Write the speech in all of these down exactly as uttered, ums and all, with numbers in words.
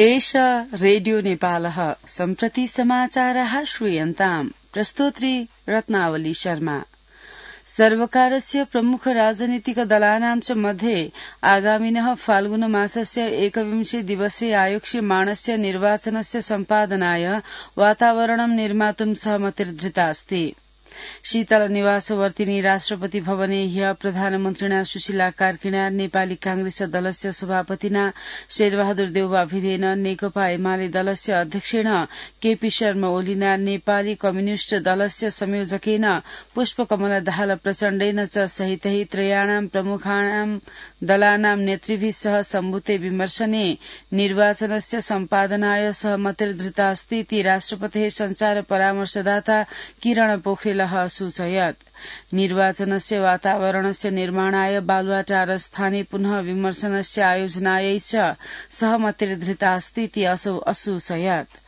एष रेडियो नेपालः सम्प्रति समाचारः श्रूयन्ताम्। प्रस्तोत्री रत्नावली शर्मा। सर्वकारस्य प्रमुख राजनीतिक दलानां च मध्ये आगामिनः फाल्गुन मासस्य एकविंशे दिवसे आयोक्ष्यमाणस्य निर्वाचनस्य सम्पादनाय वातावरणं निर्मातुं सहमतिर्धृता अस्ति। शीतल निवासवर्तिनी राष्ट्रपति भवने ह्य प्रधानमन्त्रिणा सुशीला कार्कीणा नेपाली कांग्रेस दलस्य सभापतिना शेरबहादुर देउवा भिदेन नेकपा एमाले दलस्य अध्यक्षेण केपी शर्मा ओलीना नेपाली कम्युनिष्ट दलस्य संयोजकेन पुष्पकमल दाहाल प्रचण्डेन च सहितै त्रयाणां प्रमुखाणां दलानां नेतृभिः सह सम्भूते विमर्शने निर्वाचनस्य सम्पादनाय सहमतिर्धृता अस्ति इति राष्ट्रपतेः संचार परामर्शदाता किरण पोखरेलः सूचयत्। निर्वाचनस्य वातावरणस्य निर्माणाय बालुवाटार स्थाने पुनः विमर्शनस्य आयोजनायै च सहमतिर्धृता अस्ति इति असौ असूचयत्।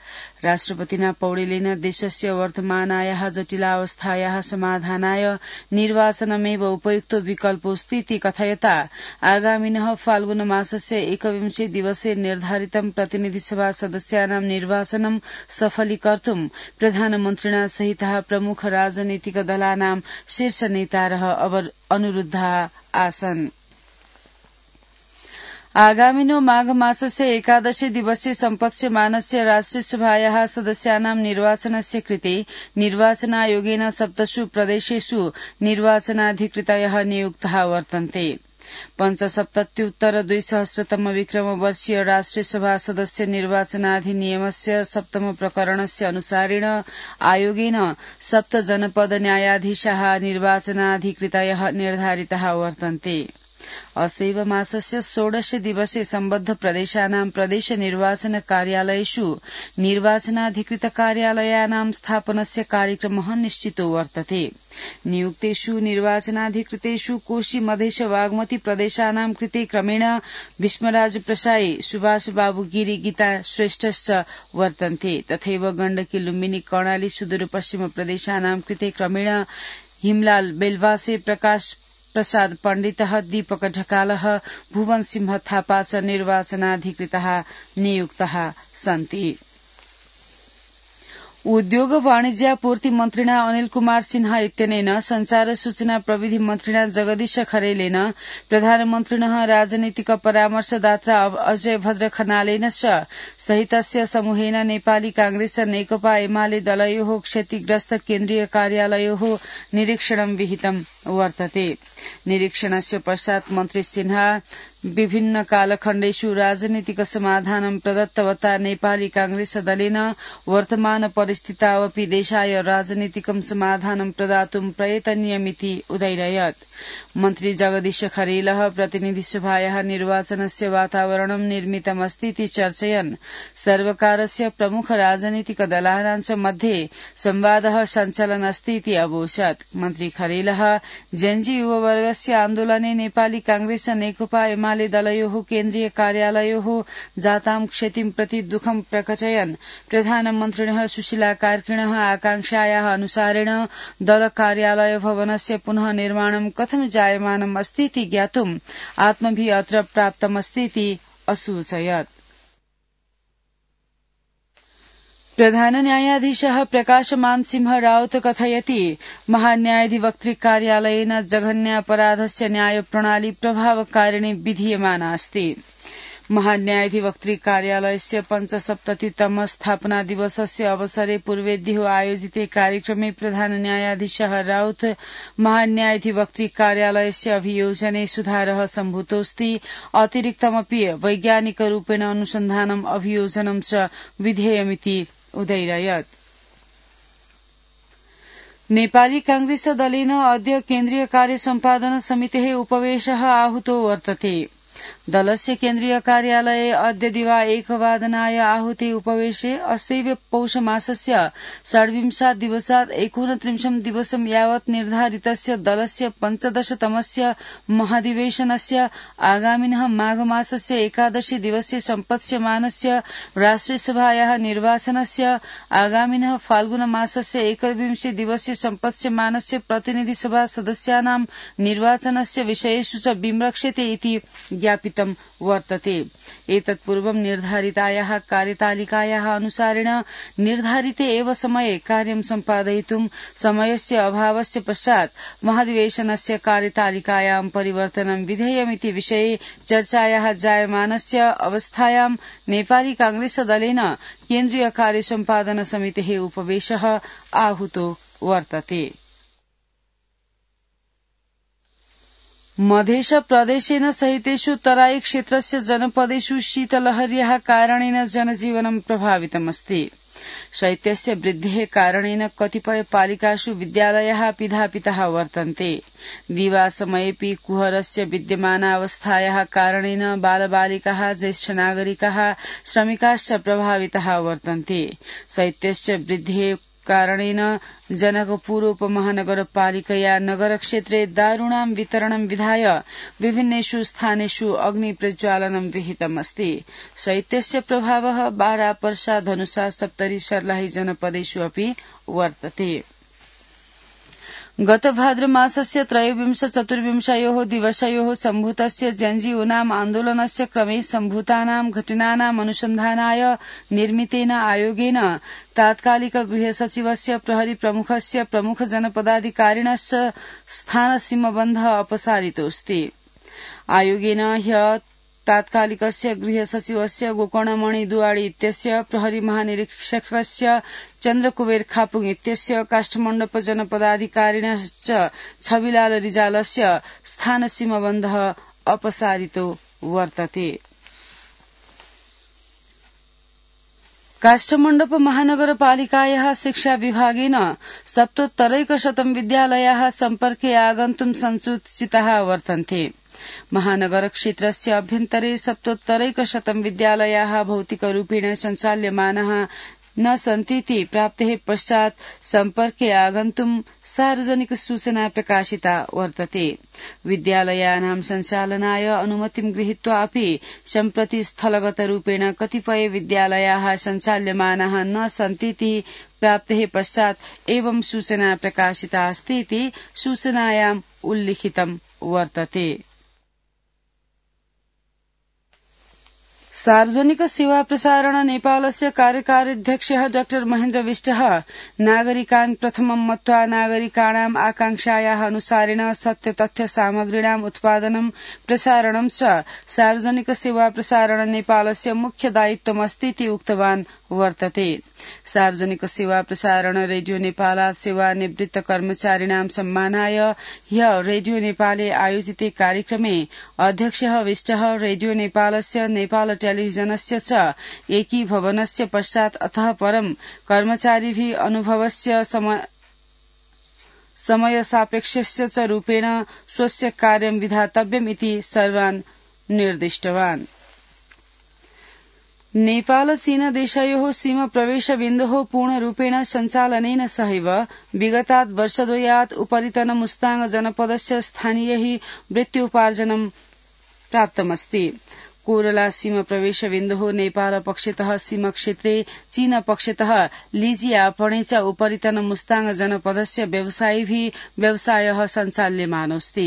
राष्ट्रपतिना पौडेलेन देशस्य वर्तमानायाः जटिलावस्थायाः समाधानाय निर्वाचनमेव उपयुक्तो विकल्पोऽस्ति इति कथयता आगामिनः फाल्गुन मासस्य एकविंशे दिवसे निर्धारितं प्रतिनिधिसभा सदस्यानां निर्वाचनं सफलीकर्तुं प्रधानमन्त्रिणा सहितः प्रमुख राजनीतिक दलानां शीर्ष नेतारः अनुरुद्धाः आसन्। आगामिनो माघ मासस्य एकादशे दिवसे सम्पत्स्यमानस्य राष्ट्रियसभायाः सदस्यानां निर्वाचनस्य कृते निर्वाचनायोगेन सप्तसु प्रदेशेषु निर्वाचनाधिकृतयः नियुक्ताः वर्तन्ते। पञ्चसप्तत्युत्तर द्विसहस्रतम विक्रमवर्षीय राष्ट्रियसभा सदस्य निर्वाचनाधिनियमस्य सप्तम प्रकरणस्य अनुसारेण आयोगेन सप्त जनपद न्यायाधीशाः निर्वाचनाधिकृतयः निर्धारिताः वर्तन्ते। असैव मासस्य षोडशे दिवसे सम्बद्ध प्रदेशानां प्रदेश निर्वाचन कार्यालयेषु निर्वाचनाधिकृत कार्यालयानां स्थापनस्य कार्यक्रमः निश्चितो वर्तते। नियुक्तेषु निर्वाचनाधिकृतेषु कोशी मधेश बागमती प्रदेशानां कृते क्रमेण भीष्मराज प्रसाई, सुभाष बाबु गिरी, गीता श्रेष्ठश्च वर्तन्ते। तथैव गण्डकी, लुम्बिनी, कर्णाली, सुदूरपश्चिम प्रदेशानां कृते क्रमेण हिमलाल बेलवासे, प्रकाश प्रसाद पण्डितः, दीपक ढकालः, भुवन सिंह थापा च निर्वाचनाधिकृतः नियुक्तः सन्ति। उद्योग वाणिज्यापूर्ति मन्त्रिणा अनिल कुमार सिन्हा इत्यनेन संचार सूचना प्रविधि मन्त्रिणा जगदीश खरेलेन प्रधानमन्त्रिणः राजनीतिक परामर्शदाता अजय भद्र खनालेन च सहितस्य समूहेन नेपाली कांग्रेस नेकपा एमाले दलयोः क्षतिग्रस्त केन्द्रीय कार्यालयोः निरीक्षणं विहितं वर्तते। निरीक्षणस्य पश्चात् मन्त्री सिन्हा विभिन्न कालखण्डेषु राजनीतिक समाधानं प्रदत्तवता नेपाली कांग्रेस दलेन वर्तमान परिस्थितावपि देशाय राजनीतिकं समाधानं प्रदातुं प्रयतनीयमिति उदैरयत्। मन्त्री जगदीश खरेलः प्रतिनिधिसभायाः निर्वाचनस्य वातावरणं निर्मितमस्ति इति चर्चयन् सर्वकारस्य प्रमुख राजनीतिक दलानां च मध्ये संवादः सञ्चलन् अस्ति इति अवोचत्। मन्त्री खरेलः जेन्जी युववर्गस्य आन्दोलने नेपाली कांग्रेस नेकपा एमाले दलयोः केन्द्रीय कार्यालयोः जातां क्षतिं प्रति दुःखं प्रकटयन् प्रधानमन्त्रिणः सुशीला कार्कीणः आकांक्षायाः अनुसारेण दल कार्यालय भवनस्य पुनः निर्माणं कथं जायमानम् अस्ति इति ज्ञातुम् आत्मभिः अत्र प्राप्तमस्ति इति असूचयत्। प्रधान न्यायाधीशः प्रकाशमान सिंह राउत कथयति महान्यायाधिवक्तृ कार्यालयेन जघन्यापराधस्य न्यायप्रणाली प्रभावकारिणी विधीयमाना अस्ति। महान्यायाधिवक्तृ कार्यालयस्य पञ्चसप्ततितम स्थापना दिवसस्य अवसरे पूर्वेद्युः आयोजिते कार्यक्रमे प्रधान न्यायाधीशः राउत महान्यायाधिवक्तृ कार्यालयस्य अभियोजने सुधारः सम्भूतोऽस्ति। अतिरिक्तमपि वैज्ञानिकरूपेण अनुसन्धानम् अभियोजनं च विधेयमिति उदैरयत्। नेपाली कांग्रेस दलेन अद्य केन्द्रीय कार्य सम्पादन समितेः उपवेशः आहूतो वर्तते। दलस्य केन्द्रीय कार्यालये अद्य दिवा एकवादनाय आहूते उपवेशे असैव पौष मासस्य षड्विंशात् दिवसात् एकोनत्रिंशं दिवसं यावत् निर्धारितस्य दलस्य पञ्चदशतमस्य महाधिवेशनस्य आगामिनः माघ मासस्य एकादशे दिवसे सम्पत्स्यमानस्य राष्ट्रियसभायाः निर्वाचनस्य आगामिनः फाल्गुन मासस्य एकविंशे दिवसे सम्पत्स्यमानस्य प्रतिनिधिसभा सदस्यानां निर्वाचनस्य विषयेषु च विमृक्षते इति ज्ञापितं वर्तते। एतत्पूर्वं निर्धारितायाः कार्यतालिकायाः अनुसारेण निर्धारिते एव समये कार्यं सम्पादयितुं समयस्य अभावस्य पश्चात् महाधिवेशनस्य कार्यतालिकायां परिवर्तनं विधेयमिति विषये चर्चायाः जायमानस्य अवस्थायां नेपाली कांग्रेस दलेन केन्द्रीय कार्य सम्पादन समितेः उपवेशः आहूतो वर्तते। मधेश प्रदेशेन सहितेषु तराई क्षेत्रस्य जनपदेषु शीतलहर्याः कारणेन जनजीवनं प्रभावितमस्ति। शैत्यस्य वृद्धेः कारणेन कतिपय पालिकासु विद्यालयाः पिधापिताः वर्तन्ते। दिवासमयेऽपि कुहरस्य विद्यमानावस्थायाः कारणेन बालबालिकाः ज्येष्ठ नागरिकाः श्रमिकाश्च प्रभाविताः वर्तन्ते। शैत्यस्य वृद्धेः कारणेन जनकपुर उपमहानगरपालिकया नगरक्षेत्रे दारूणां वितरणं विधाय विभिन्नेषु स्थानेषु अग्निप्रज्वालनं विहितमस्ति। शैत्यस्य प्रभावः बारा पर्सा धनुषा सप्तरी सर्लाही जनपदेषु अपि वर्तते। गत भाद्र मासस्य त्रयोविंश चतुर्विंशयोः दिवसयोः सम्भूतस्य जन्जीवनाम आन्दोलनस्य क्रमे सम्भूतानां घटनानाम् अनुसन्धानाय निर्मितेन आयोगेन तात्कालिक गृहसचिवस्य प्रहरी प्रमुखस्य प्रमुख जनपदाधिकारिणस्य स्थानसीमबन्धः अपसारितोऽस्ति। आयोगेन ह्यः तात्कालिकस्य गृहसचिवस्य गोकर्णमणि दुवाडी इत्यस्य प्रहरी महानिरीक्षकस्य चन्द्रकुबेर खापुङ इत्यस्य काष्ठमण्डप जनपदाधिकारिणश्च छविलाल रिजालस्य स्थानसीमबन्धः अपसारितो वर्तते। काष्ठमण्डप महानगरपालिकायाः शिक्षा विभागेन सप्तोत्तरैकशतं विद्यालयाः सम्पर्के आगन्तुं संसूचिताः वर्तन्ते। महानगर क्षेत्रस्य अभ्यन्तरे सप्तोत्तरैकशतं विद्यालयाः भौतिकरूपेण सञ्चाल्यमानाः न सन्तीति प्राप्तेः पश्चात् सम्पर्के आगन्तुं सार्वजनिक सूचना प्रकाशिता वर्तते। विद्यालयानां सञ्चालनाय अनुमतिं गृहीत्वा अपि सम्प्रति स्थलगतरूपेण कतिपय विद्यालयाः सञ्चाल्यमानाः न सन्तीति प्राप्तेः पश्चात् एवं सूचना प्रकाशिता अस्ति इति सूचनायाम् उल्लिखितं वर्तते। सार्वजनिक सेवा प्रसारण नेपालस्य कार्यकार्याध्यक्षः डाक्टर महेन्द्र विष्टः नागरिकान् प्रथमं मत्वा नागरिकाणाम् आकांक्षायाः अनुसारेण सत्य तथ्य सामग्रीणाम् उत्पादनं प्रसारणं च सार्वजनिक सेवा प्रसारण नेपालस्य मुख्य दायित्वमस्ति इति उक्तवान् वर्तते। सार्वजनिक सेवा प्रसारण रेडियो नेपालात् सेवानिवृत्त कर्मचारिणां सम्मानाय ह्यः रेडियो नेपाले आयोजिते कार्यक्रमे अध्यक्षः विष्टः रेडियो नेपालस्य नेपाल टेलिभिजनस्य च एकीभवनस्य पश्चात् अतः परं कर्मचारिभिः अनुभवस्य समय समय सापेक्षस्य च रूपेण स्वस्य कार्यं विधातव्यम् इति सर्वान् निर्दिष्टवान्। नेपाल चीन देशयोः सीमा प्रवेश बिन्दोः पूर्णरूपेण सञ्चालनेन सहैव विगतात् वर्षद्वयात् उपरितन मुस्ताङ जनपदस्य स्थानीयैः वृत्त्योपार्जनं प्राप्तमस्ति। कोरला सीमा प्रवेश बिन्दोः नेपाल पक्षतः सीमाक्षेत्रे चीन पक्षतः लीजी आपणे च उपरितन मुस्ताङ जनपदस्य व्यवसायिभिः व्यवसायः सञ्चाल्यमानोऽस्ति।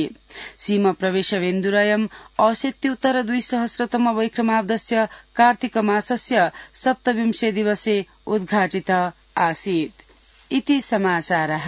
सीमा प्रवेश बिन्दुरयम् अशीत्युत्तर द्विसहस्रतम वैक्रमाब्दस्य कार्तिक मासस्य सप्तविंशे दिवसे उद्घाटित आसीत् इति समाचारः।